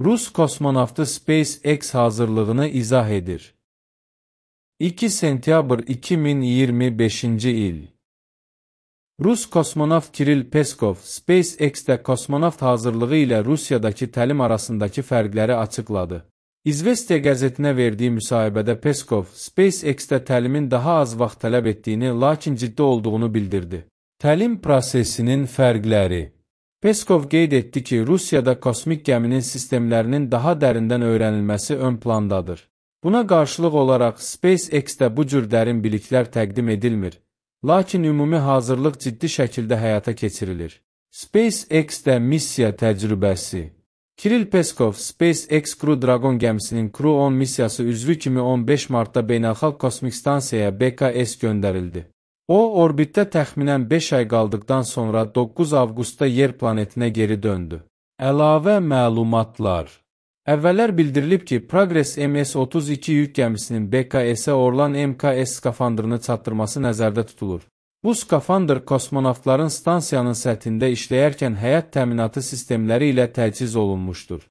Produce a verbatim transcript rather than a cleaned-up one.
Rus kosmonavtı SpaceX hazırlığını izah edir. iki sentyabr iki min iyirmi beşinci il. Rus kosmonavt Kiril Peskov, SpaceX-də kosmonavt hazırlığı ilə Rusiyadakı təlim arasındakı fərqləri açıqladı. İzvestiya qəzetinə verdiyi müsahibədə Peskov, SpaceX-də təlimin daha az vaxt tələb etdiyini, lakin ciddi olduğunu bildirdi. Təlim prosesinin fərqləri. Peskov qeyd etdi ki, Rusiyada kosmik gəminin sistemlərinin daha dərindən öyrənilməsi ön plandadır. Buna qarşılıq olaraq SpaceX-də bu cür dərin biliklər təqdim edilmir, lakin ümumi hazırlıq ciddi şəkildə həyata keçirilir. SpaceX-də missiya təcrübəsi. Kiril Peskov, SpaceX Crew Dragon gəmisinin Crew on missiyası üzvü kimi on beş martda Beynəlxalq Kosmik Stansiyaya B K S göndərildi. O, orbitdə təxminən beş ay qaldıqdan sonra doqquz avqustda Yer planetinə geri döndü. Əlavə məlumatlar. Əvvəllər bildirilib ki, Progress M S otuz iki yük gəmisinin B K S-ə Orlan M K S skafandrını çatdırması nəzərdə tutulur. Bu skafandr kosmonavtların stansiyanın səthində işləyərkən həyat təminatı sistemləri ilə təchiz olunmuşdur.